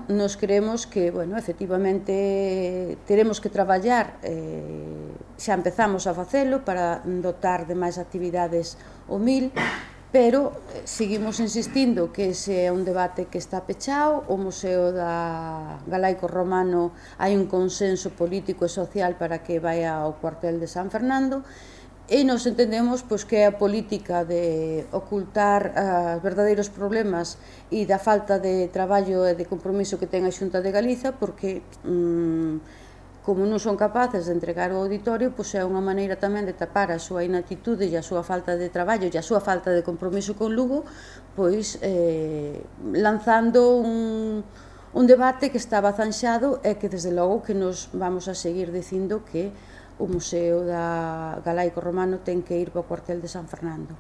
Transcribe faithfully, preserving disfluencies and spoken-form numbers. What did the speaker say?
nos creemos que, bueno, efectivamente teremos que traballar, eh, xa empezamos a facelo para dotar de máis actividades o mil, pero seguimos insistindo que ese é un debate que está pechado. O Museo da Galaico Romano hai un consenso político e social para que vai ao cuartel de San Fernando, e nos entendemos pois, que a política de ocultar os verdadeiros problemas e da falta de traballo e de compromiso que ten a Xunta de Galiza, porque mmm, como non son capaces de entregar o auditorio, pois é unha maneira tamén de tapar a súa inactitude e a súa falta de traballo e a súa falta de compromiso con Lugo, pois eh, lanzando un, un debate que estaba zanxado e que desde logo que nos vamos a seguir dicindo que o Museo da Galaico Romano ten que ir para o cuartel de San Fernando.